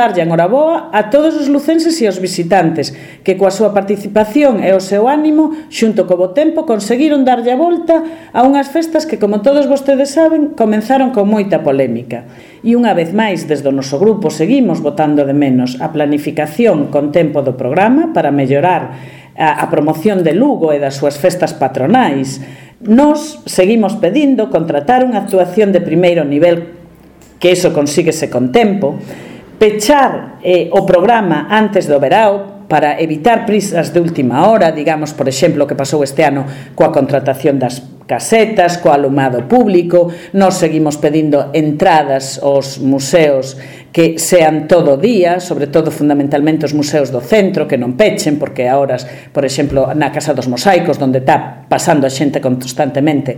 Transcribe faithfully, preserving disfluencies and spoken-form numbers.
darlle a enhoraboa a todos os lucenses e os visitantes que coa súa participación e o seu ánimo xunto co bo tempo conseguiron darlle a volta a unhas festas que, como todos vostedes saben, comenzaron con moita polémica. E unha vez máis, desde o noso grupo seguimos botando de menos a planificación con tempo do programa para mellorar a, a promoción de Lugo e das súas festas patronais. Nos seguimos pedindo contratar unha actuación de primeiro nivel, que iso consíguese con tempo, pechar eh, o programa antes do verao para evitar prisas de última hora, digamos, por exemplo, o que pasou este ano coa contratación das casetas, co alumado público. Nos seguimos pedindo entradas aos museos que sean todo día, sobre todo fundamentalmente os museos do centro, que non pechen, porque a horas, por exemplo, na Casa dos Mosaicos, onde está pasando a xente constantemente,